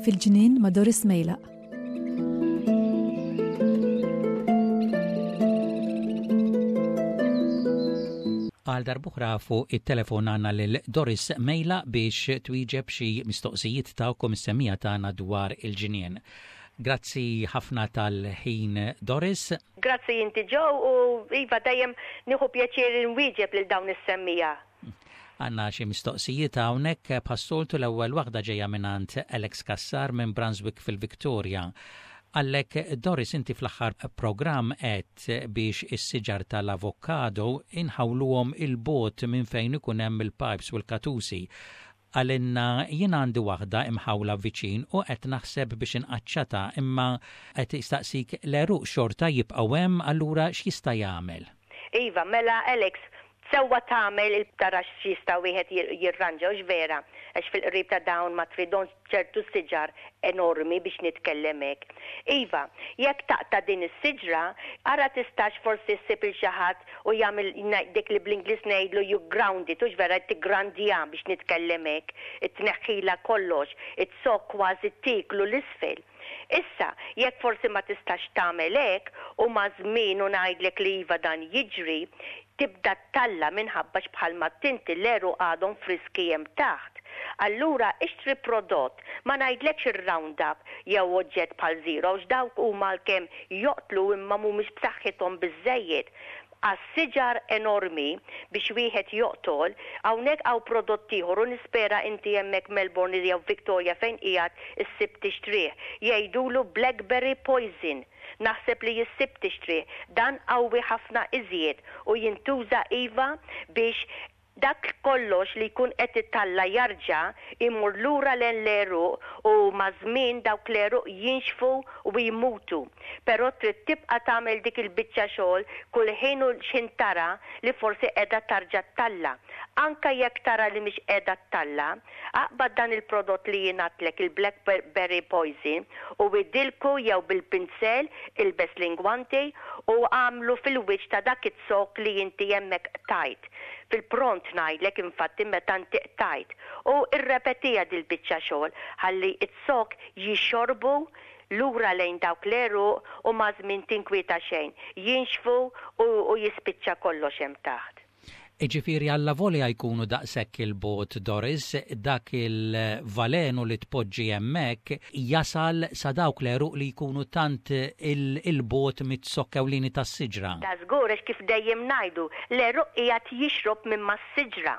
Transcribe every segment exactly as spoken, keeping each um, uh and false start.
Fil-ġnien ma' Doris Mejlaq. Għal darb'oħra fuq it-telefon għandna lil Doris Mejlaq biex twieġeb xi mistoqsijiet tagħkom is-semmiegħa tagħna dwar il-ġnien. Grazzi ħafna tal-ħin, Doris. Grazzi inti, Joe, u iva, dejjem nieħu pjaċir nwieġeb lil dawn is-semmiegħa. Għandna xi mistoqsijiet hawnhekk bħas-soltu. L-ewwel waħda ġejja mingħand Alex Kassar minn Brunswick fil-Victoria. Għalek, Doris, inti fl-aħħar programm għedt biex is-siġar tal-avokado inħawluhom 'il bogħod minn fejn ikun hemm il-pipes u l-katusi. Għalenna jien għandi waħda imħawla viċin u qed naħseb biex inqaċċata, imma qed jistaqsik, l-għeruq xorta jibqgħu hemm, allura x'jista' jagħmel? Iva, mela Alex, sewwa tagħmel tara x'jista' wieħed jirranġa, hux vera, għax fil-qrib ta' dawn ma tridhomx ċertu siġar enormi, biex nitkellem hekk. Iva, jekk taqta' din is-siġra, ara tistax forsi ssib il xi ħadd u jagħmel dik li bl-Ingliż ngħidlu you ground it, hux vera, tiggrandja, biex nitkellem hekk, tneħħila kollox, it-zokk kważi tiklu 'l isfel. Issa, jekk forsi ma tistax tagħmel hekk u ma' żmien, u ngħidlek li iva, dan jiġri, tibda ttalla' minħabba bħalma tinti l-għeruq għadhom friski hemm taħt. Allura ixtri prodott, ma ngħidlekx ir-Roundup jew oġġett bħal Zero, dawk huma kemm joqtlu imma mhumiex b'saħħithom biżejjed għas-siġar enormi biex wieħed joqtol. Hawnhekk hawn prodott ieħor u nispera inti hemmhekk Melbourne jew Victoria fejn qiegħed issib tixtrih. Jgħidulu Blackberry Poison. Naħseb li issib tixtrih. Dan qawwi ħafna iżjed u jintuża, iva, biex dak kollox li jkun qed italla' jarġa' imur lura lejn l-għeruq u maż-żmien dawk l-għeruq jinxfu u jmutu. Però trid tibqa' tagħmel dik il-biċċa xogħol kull ħin u x'ħin tara li forsi qiegħda tarġa' ttalla'. Anka jekk tara li mhix qiegħda ttalla', aqbad dan il-prodott li jien għedtlek, il-Blackberry Poison, u idilku jew bil-pinsel, ilbes l-ingwanti u għamlu fil-wiċċ ta' dak it-zokk li inti hemmhekk qtajt. Fil-pront ngħidlek, infatti, meta inti qtajt. U irrepetiha dil-biċċa xogħol ħalli it-zokk jixorbu lura lejn dawk l-għeruq u maż-żmien tinkwieta xejn. Jinxfu u, u jispiċċa kollox hemm taħt. Iġifieri allavolja jkunu daqshekk 'il bogħod, Doris, dak il-valenu li tpoġġi hemmhekk jasal sa dawk l-għeruq li jkunu tant 'il bogħod miz-zokk ewlieni tas-siġra. Ta' żgur, għax kif dejjem ngħidu, l-għeruq qiegħed jixrob minn mas-siġra.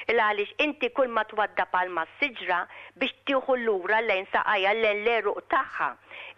Il għaliex inti kull ma twaddab għal mas-siġra biex tieħu lura lejn saqajja, lejn l-għeruq tagħha.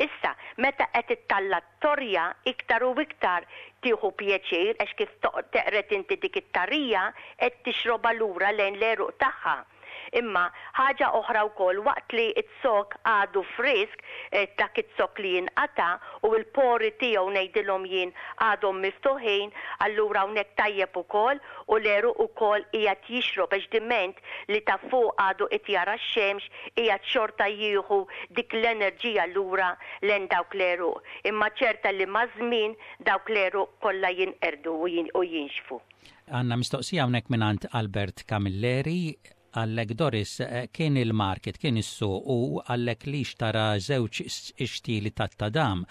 Issa, meta qed ittalla' torja, iktar u iktar tieħu pjaċir għax kif teqred inti dik it-tarija qed tixroba lura lejn l-għeruq tagħha. Imma ħaġa oħra wkoll, waqt li it-zokk għadu frisk, eh, dak it-zokk li jinqata u l-pori tiegħu, ngħidilhom jien, għadhom miftuħin, allura hawnhekk tajjeb ukoll u l-għeruq ukoll qiegħed jixrob għax diment li ta' fuq għadu qed jara x-xemx, qiegħed xorta jieħu dik l-enerġija lura lejn dawk l-għeruq. Imma ċerta li maż-żmien dawk l-għeruq kollha jinqerdu u jinxfu. Għandna mistoqsija hawnhekk mingħand Albert Camilleri. Għallek, Doris, eh, kien il-market, kien is-suq u għallek li xtara żewġ ixtieli tat-tadam,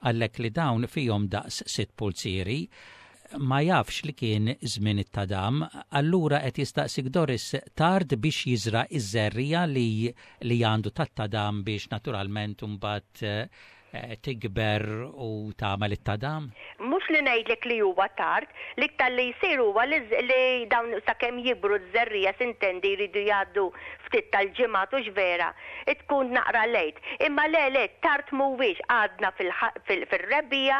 għallek li dawn fihom daqs sitt pulzieri, ma jafx li kien żmien it-tadam, allura qed jistaqsik, Doris, tard biex jiżra' iż-żerriegħa li li għandu tat-tadam biex naturalment imbagħad eh, tikber u tagħmel it-tadam? Mhux li ngħidlek li huwa tard, l-iktar li jsir huwa li, li dawn sakemm jikbru ż-żerriegħa, s'intendi, jridu jgħaddu ftit tal-ġimgħat, hux vera, tkun naqra late. Imma le le, tard mhuwiex, għadna fil-rebbiegħa,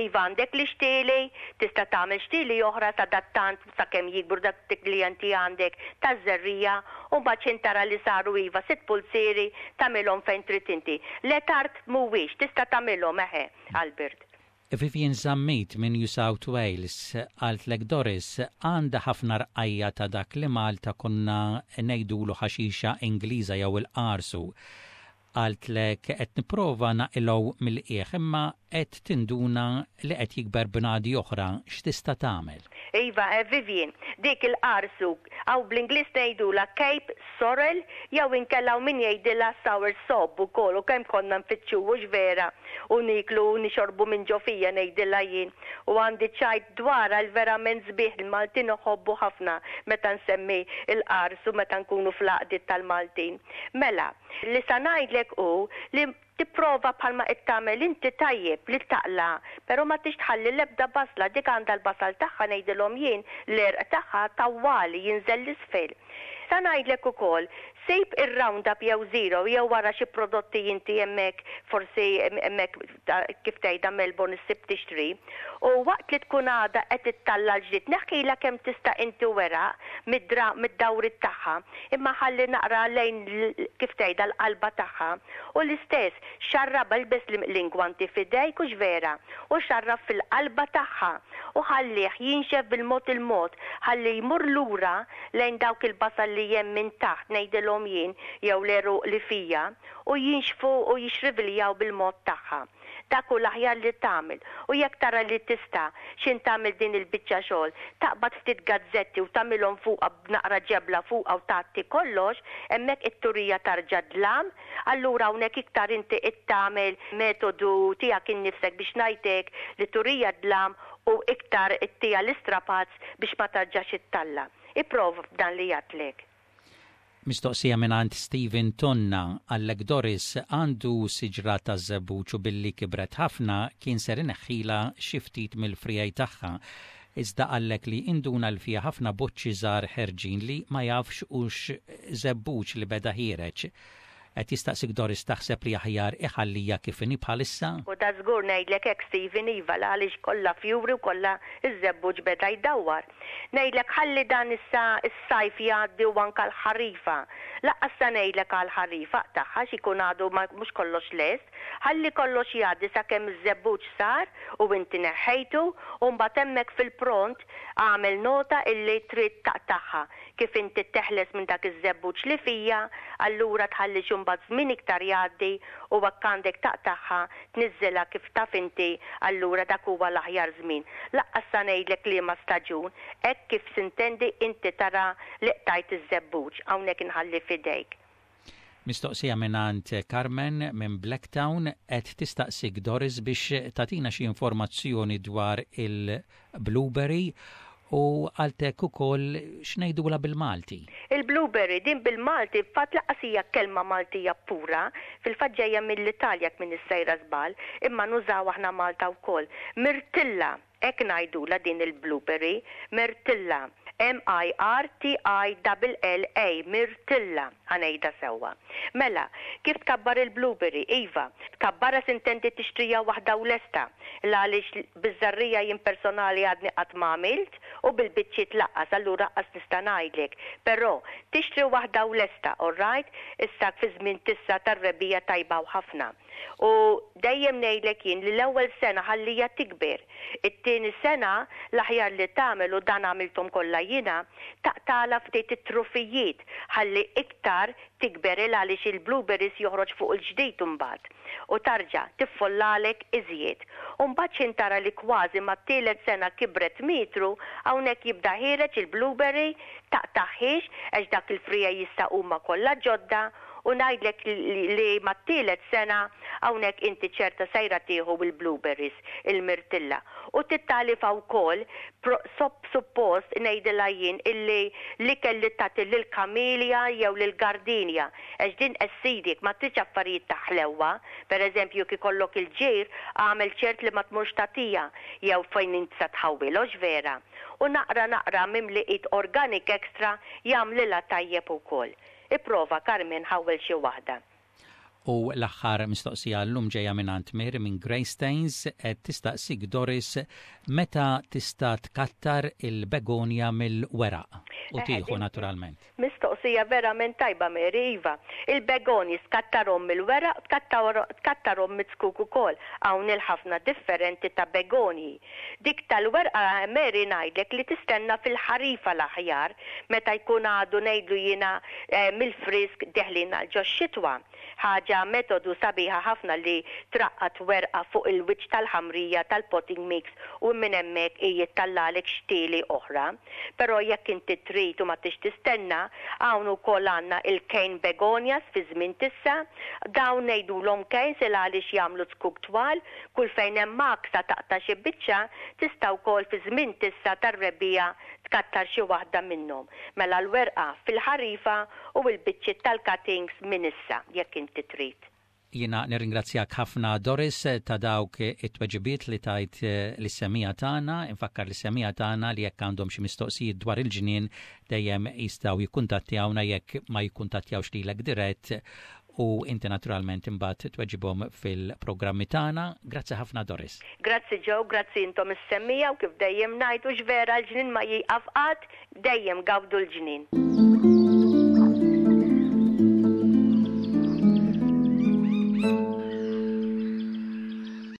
iva, għandek l-ixtieli, tista' tagħmel xtieli oħra sadattant sakemm jikbru dak li inti għandek taż-żerriegħa u mbagħad tara li saru, iva, sitt pulzieri, tagħmilhom fejn trid inti. Le, tard mhuwiex, tista' tagħmilhom, eħe, Albert. Vivian Zammit minn New South Wales qaltlek, Doris, għandha ħafna rqajja ta' dak li Malta konna ngħidulu ħaxixa Ingliża jew il-qarsu. Qaltlek qed nipprova naqilgħu mill-qiegħ imma qed tinduna li qed jikber bnadi oħra, x'tista' tagħmel? Iva, eh, Vivian, dik il-qarsu, għaw bl-Ingliż ngħidula Cape Sorrel jew inkella min jgħidilha sour sop ukoll, u kemm konna nfittxu hux vera u niklu u nixorbu minn ġo fija, ngħidilha jien. U għandi ċajt dwarha l-verament sbieħ, il-Maltin uħobbu ħafna meta nsemmi il-qarsu meta nkunu fl-għaqdiet tal-Maltin. Mela, li sa ngħidlek hu li tipprova bħalma qed tagħmel inti tajjeb li taqla, però ma tix tħalli l-ebda basla, dik għandha l-basal tagħha, ngħidilhom jien, l-għerq tagħha tawwali jinżel l-isfel. Sa ngħidlek ukoll, sib ir-Roundup jew Zero jew wara xi prodotti inti hemmhekk, forsi hemmhekk kif tgħidha Melbourne issib tixtri. U waqt li tkun għadha qed ittalla l-ġdid, neħħilha kemm tista' inti weraq mid-dawrit tagħha, imma ħalli naqra lejn kif tgħidha l-qalba tagħha. U l-istess, xarrab, ilbes l-ingwanti f'idejk hux vera, u xarrab fil-qalba tagħha u ħallih jinxef bil-mod il-mod, ħalli jmur lura lejn dawk il-basal li hemm minn taħt, ngħidilhom jien, jew l-għeruq li fija, u jinxfu u jixriviljaw bil-mod tagħha. Dak hu l-aħjar li tagħmel. U jekk tara li tista' xin tagħmel din il-biċċa xogħol, taqbad ftit gazzetti u tagħmilhom fuqha b'naqra ġebla fuqha u tgħatti kollox, hemmhekk it-turija tarġa' dlam, allura hawnhekk iktar inti qed tagħmel metodu tiegħek innifsek biex ngħidlek li turija dlam u iktar ittija l-istrapazz biex ma tarġax ittalla. Ipprova b'dan li għedtlek. Mistoqsija mingħand Steven Tonna, qallek Doris, għandu siġra ta' żebbuġ u billi kibret ħafna kien ser ineħħila xi ftit mill-friegħi tagħha. Iżda qallek li induna l fiha ħafna boċċi żgħar ħerġin li ma jafx hux żebbuġ li beda ħiereġ. Qed jistaqsik Doris, taħseb li aħjar iħallija kif inhi bħalissa? U da żgur ngħidlek hekk, Steven, iva, għaliex kollha fjuri u kollha iż-żebbuġ beda jdawwar. Ngħidlek ħalli dan issa s-sajf jgħaddi u anke l-ħarifa. Lanqas sa ngħidlek għall-ħarifa tagħha x'ikun għadu mhux kollox lest, ħalli kollox jgħaddi sakemm iż-żebbuġ sar u inti neħħejtu, u mbagħad hemmhekk fil-pront għamel nota illi trid taqtagħha. Kif inti teħles minn dak iż-żebbuġ li fija, allura tħalli xi mbagħad żmien iktar jgħaddi u hekk għandek taqtagħha, tniżżilha kif taf inti, allura dak huwa l-aħjar żmien. Lanqas sa ngħidlek liema staġun, hekk kif sintendi inti tara li qtajt iż-żebbuġ, hawnhekk inħalli f'idejk. Mistoqsija mingħand Carmen minn Blacktown, qed tistaqsik Doris biex tagħtina xi informazzjoni dwar il-blueberry u qaltlek ukoll x'ngħidula bil-Malti. Il-blueberry din bil-Malti fatt lanqas hija kelma Maltija pura, fil-fatt ġejja mill-Italja minn sejra żball, imma nużaw aħna Malta wkoll. Mirtilla, hekk ngħidula din il-blueberry, mirtilla. M I R T I L L A, mirtilla, ħa ngħidha sewwa. Mela, kif tkabbar il-blueberry? Iva, tkabbarha sintendi tixtrija waħda u lesta. Għaliex biż-żerriegħa jien personali għadni qatt ma għamilt u bil-biċċiet lanqas, allura qas nista' ngħidlek. Però tixtri waħda u lesta, all right? Issa fi żmien tissa tar-rebbiegħa tajba u ħafna. U dejjem ngħidlek jien li l-ewwel sena ħallija tikber. It-tieni sena l-aħjar li tagħmel, u dan għamilthom kollha jiena, taqtala ftit it-trufijiet ħalli iktar tikber, il għaliex il-blueberries joħroġ fuq il-ġdid imbagħad u tarġa' tiffollalek iżjed. U mbagħad x'ħin tara li kważi mat-tielet sena kibret metru, hawnhekk jibda ħiereġ il-blueberry, taqtaħħiex għax dak il-friegħi jista' huma kollha ġodda, u ngħidlek li mat-tielet sena hawnhekk inti ċerta sejra tieħu il-blueberries, il-mirtilla. U tittalifa wkoll suppost ngħidilha jien illi li kelli tagħti lill-kamilja jew lill-gardinja għax din acidic, ma tridx affarijiet ta' ħlewwa, pereżempju kif ikollok il-ġir, għamel ċert li ma tmurx tagħtija jew fejn inti sa tħawwilhux vera. U naqra naqra mimli it organic extra jagħmlilha tajjeb ukoll. Ipprova, Carmen, ħawwel xi waħda. U l-aħħar mistoqsija llum ġejja minn Mir minn Greystanes, qed tistaqsik Doris meta tista' tkattar il-begonja mill-weraq u tieħu naturalment. Mistoqsija Mistoqsija verament tajba, Mary, iva. Il-begonji tkattarhom mill-weraq, tkattarhom miz-zkuk ukoll. Hawn il-ħafna differenti ta' begonji. Dik tal-werqa, Mary, ngħidlek li tistenna fil-ħarifa l-aħjar, meta jkun għadu, ngħidlu jiena, eh, mill-frisk deħlin għal ġox-xitwa. Ħaġa metodu sabiħa ħafna li traqqad werqa fuq il-wiċċ tal-ħamrija tal-potting mix u minn hemmhekk jittellgħalek xtieli oħra. Però jekk inti trid u ma tix tistenna, hawn ukoll għandna il-cane begonias fi żmien t'issa. Dawn ngħidulhom canes il għaliex jagħmlu zkuk twal, kull fejn hemm maksa taqta' xi biċċa, tista' wkoll fi żmien t'issa tar-rebbiegħa tkattar xi waħda minnhom. Mela l-werqa fil-ħarifa u l-biċċiet tal-cuttings minn issa jekk inti trid. Jiena nirringrazzjak ħafna, Doris, ta' dawk it-tweġibiet li tajt eh, lis-semmiegħa tagħna. Infakkar lis-semmiegħa tagħna li jekk għandhom xi mistoqsijiet dwar il-ġnien dejjem jistgħu jikkuntattjawna jekk ma jikkuntattjawx lilek dirett u inti naturalment imbagħad tweġibhom fil-programmi tagħna. Grazzi ħafna, Doris. Grazzi Joe, grazzi intom is-semmiegħa u kif dejjem ngħidu vera l-ġnien ma jieqaf qatt, dejjem gawdu l-ġnien.